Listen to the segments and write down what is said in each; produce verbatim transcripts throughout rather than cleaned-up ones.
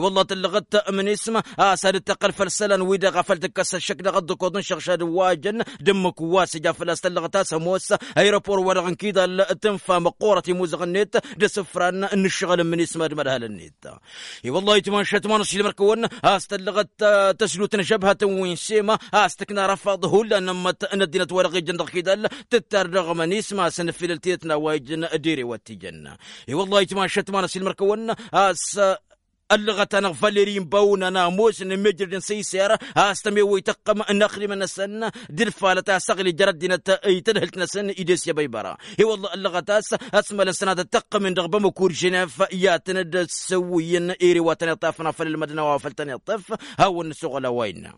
I-wălla tăllăɣăt mănisma a-s ad-dd-tăqqăl făll-isălan-wi-dăɣ a făl tǝkkăs ăššăk dăɣ-ăḍḍǝkuḍ n-išăɣšad wa jăn d-ǝmmǝk wa s-ija făl-a-s tăllăɣăt a-s ămoos. Aeropor-wa-dăɣ n-kidal tǝnfa măqqoorăt imuzăɣ-net d-asǝfran n-ǝššăɣǝl n-mănisma d-imădhal-net. I-wălla-hi tǝmanšăt ma n-ăṣilmăr-kăwăn a-s tăllăɣăt tăsdut n-ažăbhătăn wi n-sema a-s tǝkna răfaḍ hullan n-ămmăt n-ăddinăt-wa-dăɣ ijăn dăɣ-kidal tǝttar dăɣ-mănisma a-s ănfilăl tidăt n-a-wa ijăn d-ere wa t-ijăn. I-wălla-hi tǝmanšăt ma n-ăsilmăr-kăwăn a-s ăllăɣăt-anăɣ văleri n-bawna n-ămoosăn n-mejrăd n-săyser a-s tămewăy tăqqăm n-axdimăn-năsăn d-ǝlfalăt a-s ăɣli jer-ăddinăt i-tadhǝlt-năsăn idesya băybăra. I-wălla ăllăɣăt a-s ăsmălăn sănatăt tăqqăm-in dăɣ-bamăkur ženev i-ad-tăn-dd-săwwǝyăn ere wa tăn-iṭṭafăn afăl ǝlmădăn a-wa făl tăn-iṭṭăf. Hawăn-nǝsuɣăl a-wa innă.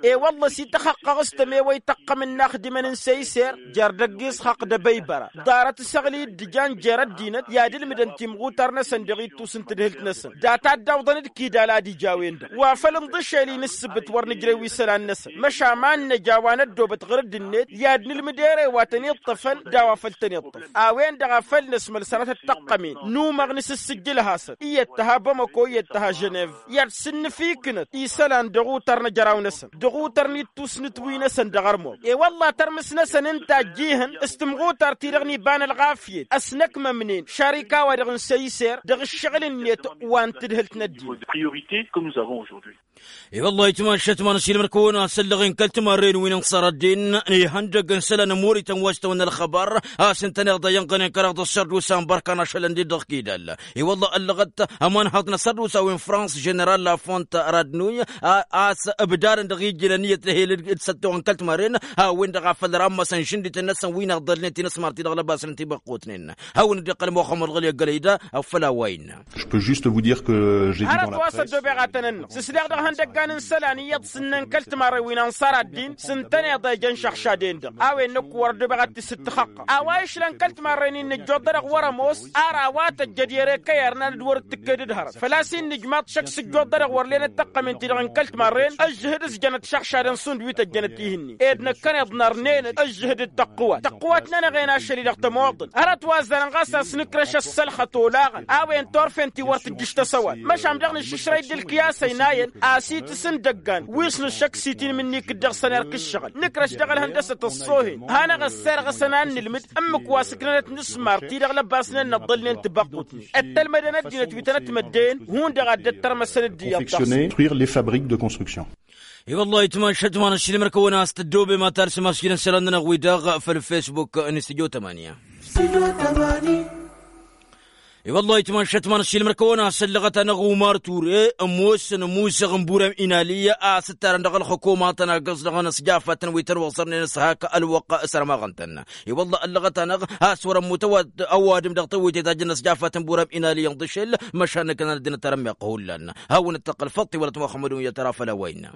E-wălla s-ităxăqqăɣ s-tămewăy tăqqăm n-inaxdimăn n-săyser jer-dăgg-isxăqq d-ebăybăra ḍarăt s-ăɣli d-ǝjan jer-ăddinăt i-ad-ǝlmǝdăn timɣutar-năsăn dăɣ-ittus n-tadhǝlt-năsăn data dd-awḍăn d-kidal ad-ija a-wen-dăɣ wa făl ǝnḍǝšel-in ǝssǝbǝt wăr nǝjrăy wi isălan-năsăn măšan ma n-năj a-wa năddoobăt ɣǝr-dd-net i-ad-nǝlmǝd ere wa tăn-iṭṭăfăn d-a-wa făl tăn-iṭṭăf. A-wen-dăɣ a făl năsmăl sănatăt tăqqămen număɣ nǝsǝssǝjjǝl hasăn iyyăt tăha bamăko iyyăt tăha ženev i-ad-sǝnnǝfiknăt isălan dăɣ-utar n-ajăraw-năsăn dăɣ-utar n-ittusnǝt-wi-năsăn dăɣ-ărmur. E-wălla tărmǝs-năsăn ǝnta ăjjihăn s-tǝmɣutar-ti-dăɣ n-iba n-ălɣafyăt ăsnăkmămnen šarika-wa-dăɣ n-săyser dăɣ-ǝššăɣǝl-net wa n-tǝdhǝlt n-ăddin. I-wălla-hi tǝmašat ma n-ăsilmăr-kăwăn a-s ăllăɣen kăl-timarren wi n-inṣăr ăddin ihăndăg n-isălan n-imorităn wa s-tawănna ălxăbar a-s ǝntăneḍ a iyănɣănen kăraḍ ăssărdusa n-bărkan ašălăn-dd dăɣ-kidal. I-wălla ăllăɣăt ămanhăḍ n-ăssărdusa wi n-frans ženeral lafont radnuy a-s ǝbdadăn dăɣ-ijilăn iyyăt d-ehel d-săttoɣăn kăl-timarren. A-wen-dăɣ a făl rămmăsăn žǝndităn-năsăn wi n-iɣḍălnet-i n-ăsmărti dăɣ-lăbasăn ti-băqqutnen hawăn-dd-iqqăl muxămmăd ɣăli ăggălăy da. Făll-a-wa innă. Je peux juste vous dire que j'ai dit dans la presse. Hărăt wa s-ăddoobeɣ ad-tăn-ănnăɣ s-sliɣ dăɣ-hăn. N-dăggan n-isălan iyyăḍ s-ǝnnăn kăl-timarrăy wi n-ănṣar ad-dd-in s-ǝntăneḍ ejăn šăɣšad-en-dăɣ a-wen năkk wăr-dd-băɣ ad-t-isǝttăxăqqăɣ a-wa išlăn kăl-timarrăy-ni n-nǝjjoḍ-dăɣ wăr-ămoos. Ar a-wa tăjjăd i-ere kăy-irnan d-wăr-dd tǝkked d-hărăt făl-a-s hin-nǝjmaḍ šăkk s-ǝjjoḍ-dăɣ wăr lenăt tăqqămen-ti-dăɣ n-kăl-timarren ăžžǝhǝd s-jănăt šăɣšadăn šund wi tăjjănăt ihǝnnin ed năkkăneḍ nărnen-dd ăžžǝhǝd d-tăqqǝwat tăqqǝwat-nănăɣ-en ašăl-i-dăɣ tămoḍăn. Hărăt wa ăzzarăn ɣas a-s nǝkrăš ăssălxăt olaɣăn a-wen turfen-ti wăr tǝjjǝš tăsăwat măšan dăɣ-nǝššǝšrăy d-ǝlkǝyas-ăynayăn a-s itǝs n-idăggan wi s-nǝššăk s-itinǝm-ǝnni ikǝddăɣ săn erk ǝššăɣǝl nǝkrăš dăɣ-ălhăndăsăt ăṣṣoohen. Hanăɣ-ăssarăɣ a-s ănannǝlmǝd ǝmmǝk wa s-ǝknănăt nǝsmar-ti-dăɣ lăbasnen nǝḍḍălnen tibăqqutnen ăttălmădăn ăddinăt wi tănăt-măddeyăn hundăɣ a dd-ăttărmăsăn dd-iyyăḍ. Construire les fabriques de construction. I-wăllah itmašăt ma n-ašilmăr kăwăn-as tăddoobem ad-talsăm ašilăn isălan-nănăɣ wi-dăɣ făll-facebook n-studio tămanya. I-wăllah itmašăt ma n-ašilmăr kăwăn-as ăllăɣăt-anăɣ umar ture ămoosăn ămusăɣ n-burem inali a-s ǝttarăn dăɣ-ălxukumatăn agǝẓ dăɣ-năsjafatăn wi tăn-wăẓărnen s-hak ălwăqq. Sărmaɣăn-tăn i-wăllah ăllăɣăt-anăɣ a-s wăr-ămmut ăwadǝm dăɣ-tewăyte tajjăn năsjafat n-burem inali inḍǝšel. Măšan năkkănăn ăddinăt arămmeɣ hullan hawăn-dd-tăqqăl făṭṭi wălăt muxămmăd unyăt ara făll-a-wa innă.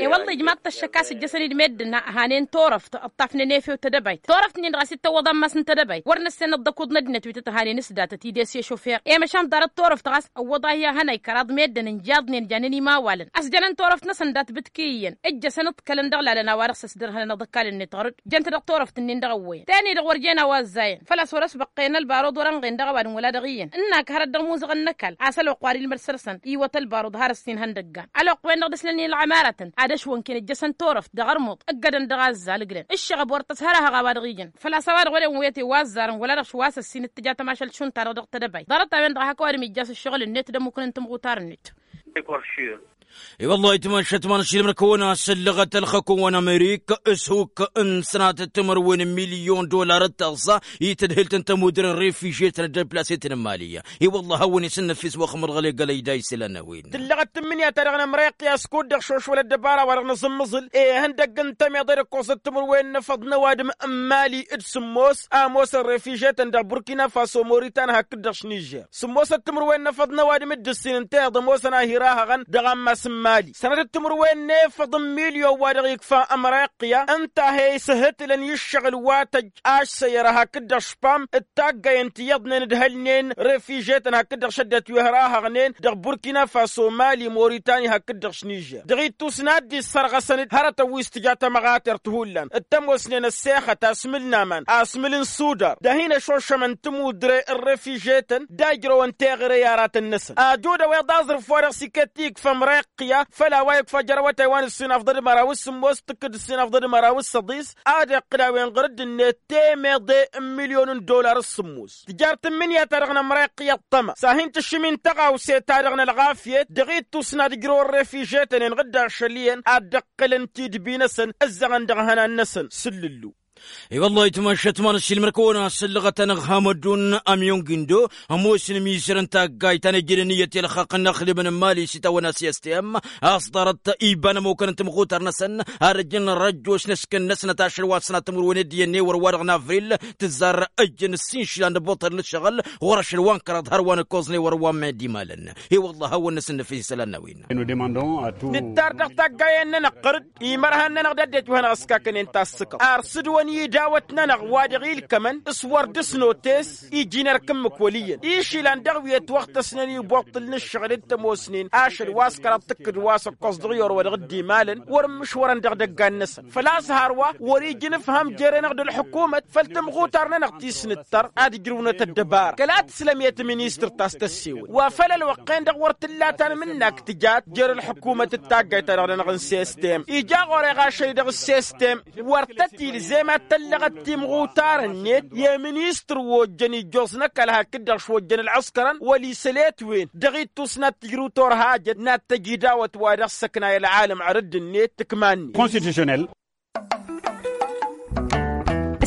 I-wălla ijmaḍ-t ăššăk a-s ǝjjăsăn-dd meddǝn hanen turăft ǝṭṭafnen efew tedăbayt turăft-nin-dăɣ a-s dd-tăwwăḍ ammas n-tedăbayt wăr năssen ăḍḍăkuḍ n-ăddinăt wi tăt-hanen s-datăt-dd-e-s i-šufer i-măšan ḍarăt turăft ɣas ăwwăḍ-ahi a hănăy kăraḍ meddǝn ǝnjaḍnen janen imawalăn ăsjănăn turăft-năsăn dat-bǝtki iyyăn ǝjjăsăn ǝḍkălăn dăɣ-lalăn a-wa dăɣ-s ăsdărhănăn aḍǝkal-net ɣur-dd jăn-t dăɣ-turăft-nin-dăɣ ăwwăyăn teni-dăɣ wăr jen a-wa ăzzayăn făl-a-s wăr-ăsbăqqăyăn ălbarud wăr-ănɣen dăɣ-ăwadǝm wăla dăɣ-iyyăn ǝnnak hărăt dăɣ-imuzăɣăn n-ăkall a-s ălwăqq wa d-ilmăd săr-săn iwăt ălbarud har ǝssin ihăndăggan ălwăqq-wen-dăɣ d-ǝslăn i-ălɣămaratăn ad-ăšwănken ǝjjăsăn turăft dăɣ-ărmuḍ ǝggădăn dăɣ-azzal ǝglăn ǝššăɣăb wăr tăshărăhăɣ a-wa dăɣ-iyyăn. Făl-a-s a-wa-dăɣ wăren wet i-wa ăzzarăn wăla dăɣ-s wa s-ăssin ǝttǝja tămašălt šund-ta-dăɣ dăɣ-tedăbayt ḍarăt-a-wen-dăɣ hak ăwadǝm ijjas ǝššăɣǝl-net d-ămmuknăn tǝmɣutar-net. I-wăllah itmašăt ma n-ašilmăr kăwăn-asăllăɣăt ălxăkun wa n-amerik s-huk n-sănatăt timărwen n-milyon dollar d-taẓẓa i-tadhǝlt n-tămudre n-refijyetăn d-ălplasetăn n-mali. I-wăllah hawăn-isǝnnăfis wăxmăr ɣăle gălăy da isălan n-a-wen. Tǝllăɣăt tǝmmǝnǝya-ta-dăɣ n-ămrayăqqi a-s kud-dăɣ šošwălăt dăbara wa dăɣ-nǝẓǝmmǝẓǝl ihăndăgg n-tămeḍe d-ǝkkoẓăt timǝrwen n-efăḍ n-ăwadǝm n-mali d-sǝmmos a ămoosăn refijyetăn dăɣ-burkina faso moritan hakd-dăɣ š-nižer. Sǝmmosăt timǝrwen n-efăḍ n-ăwadǝm d-ǝssin ǝnta iḍ ămoosăn a hi-rahăɣăn dăɣ-ammas n-mali sănătăt timǝrwen n-efăḍ n-milyon wa dăɣ-ikfa ămrayăqqi ǝnta a he-isǝhǝtǝlăn i-ǝššăɣǝl wa tăjj ašsăyăra hakd-dăɣ špam d-taggayăn ti iyyăḍnen d-hălnen refijyetăn hakd-dăɣ šăddăt wi hărahăɣnen dăɣ-burkina faso mali moritani hakd-dăɣ š-nižer dăɣ-ittus n-ad-dd-issărɣăsăn-dd hărătăn wi s-tǝja tămăɣatert hullan d-tămoosnen ăssexăt asmǝl n-aman asmǝl n-sudar d-ad-hin-ăšošămăn tămudre n-refijyetăn d-ajrăwăn teɣăre i-aratăn-năsăn. Ajud a-wa iḍaẓrǝf wa dăɣ-s iket ikfa ămrayăqqi-a făl a-wa ikfa jer-awătay wa n-ǝssin afḍăd măraw s-sǝmmos tǝkkǝd ǝssin afḍăd măraw s-săḍis ad-iqqǝl a-wen ɣur-dd-net temeḍe n-milyon n-dollar s-sǝmmos. Tǝjar tǝmmǝnǝya-ta-dăɣ n-ămrayăqqi ăṭṭăma s-ad-hin-tǝššǝm-in tăɣawse-ta-dăɣ n-ălɣafyăt dăɣ-ittus n-ad-ǝjrăwăn refijyetăn-en ɣǝdda ašăl iyyăn ad-dd-ăqqǝlăn tidbi-năsăn ǝzzăɣăn dăɣ-ihănan-năsăn. S-ǝllǝllu. I-wăllah itmašăt ma n-ašilmăr kăwăn-asăllăɣăt-anăɣ hamădun ămyon gindo ămoosăn ămizăr n-taggayt ta n-ejăd ăniyyăt i-ălxaqq n-inăxdimăn n-mali s-itawănna s-s t m a-s ḍarăt iba n-ămukăn n-timɣutar-năsăn ad-ăjjăn răjjoš n-ǝskǝn-năsnăt ašăl wa s-sănat timǝrwen d-iyyăn ewăr wa-dăɣ n-avril tǝzzar ăjjăn ǝssin išilan d-ăbbuṭăl n-ǝššăɣǝl ɣur-ašăl wa n-kăraḍ hărwa n-ǝkkoẓ n-ewăr wa n-medi imalăn. I-wăllah a hawăn-năsǝnnăfis isălan n-a-wen. Nǝttar dăɣ-taggayen-nănăɣ ɣăr-dd imărhan-nănăɣ d-ăddinăt wi hanăɣ-ăskakănen tassǝkăḍt ar s-dd-wăn i-idawăt-nănăɣ wa dăɣ-ilkămăn s-wăr dd-ǝsnotes iji n-erk ǝmmǝk wăl' iyyăn išilan dăɣ-wi ătwăɣtăsnen i-ubuṭṭǝl n-ǝššăɣǝl d-tămoosnen ašăl wa s-kăraḍ tǝkkǝd wa s-ǝkkoẓ dăɣ-i or wa dăɣ-dd-imalăn wăr ǝmmǝšwărăn dăɣ-idăggan-năsăn. Făl-a-s hărwa wăr-iji n-ǝfham jere-năɣ d-ălḥǝkumăt făll-tǝmɣutar-nănăɣ ti s-nǝttăr ad-ǝjrǝwnăt ăddăbara kăla tǝslăm i-tministăr ta s-tăssewăl wa făll-ălwăqq-en-dăɣ wăr t-ǝlla tanmǝnnak tǝjat jer-ălḥǝkumăt d-taggayt-ta-dăɣ-nănăɣ n-sistem ija ɣur-e ɣašăl-i-dăɣ s-sistem. Wăr tăt-ilzem ad-tăllăɣăt timɣutar-net i-ministăr wa ojjăn ijjoẓ n-ăkall hakd-dăɣ šwăjjăn ălɣǝskărăn wăl-isăl i-ătwen dăɣ-ittus n-ad-tǝjrǝw turhajăt n-ad-tăj idawăt wa dăɣ-săknay ălɣalăm ărǝdd-net tǝkma-net. Constitutionnel.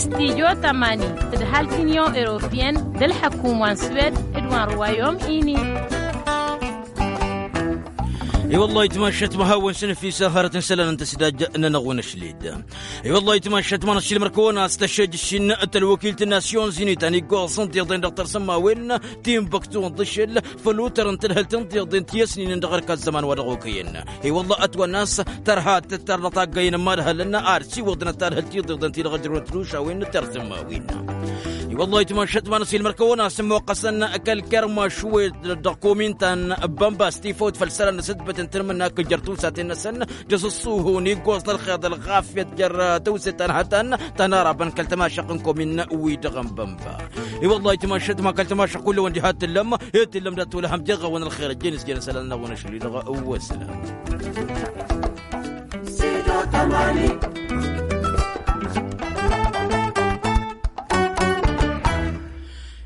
Studyo tămani tǝdhal t-unyon europeyăn d-ălḥăkum wa n-swed d-wa n-royaume uni. I-wăllah itmašat ma hawăn-săn ăfisa hărăt n-isălan n-tăsidaj n-anăɣ-wăn ašlid. I-wăllah itmašat ma n-ašilmăr kăwăn-as tăššejăšin tălwăkilt n-nasyon zini ta n-iggoẓăn tiḍen dăɣ-tărsămmawen timbăktu n-ḍǝšel făl utăr n-tălhălt n-tiḍen ti-ăsninen dăɣ-erk ăzzăman wa dăɣ-okăyăn. I-wăllah ătwănna a-s tărha tăttărnăt aggăyăn n-imadhălăn ar siwăḍnăt talhălt tiḍeḍen ti-dăɣ ăjrăwnăt tidušawen n-tărsămmawen. I-wăllah itmašat ma n-ašilmăr kăwăn-as ămmoqqăsăn kăl-kermaš wi dăɣ-komin ta n-bănba s-tifăwt făll-isălan n-asǝtbăt n-tanmǝnna kăl-jer-tusaten-năsăn d-asǝṣṣuhu n-iggoẓ n-ălxeḍ ălɣafyăt jer-tăwse ta n-hătan ta n-arabăn kăl-tămašăq n-komin wi-dăɣ n-bănba. I-wăllah itmašat ma kăl-tămašăq kull-wăn diha t-tǝllăm i-tǝllăm dat-tolăhăm jeɣ-awăn ălxer ăjjeen s-jăn isălan n-awăn ašli-dăɣ. Wăslan.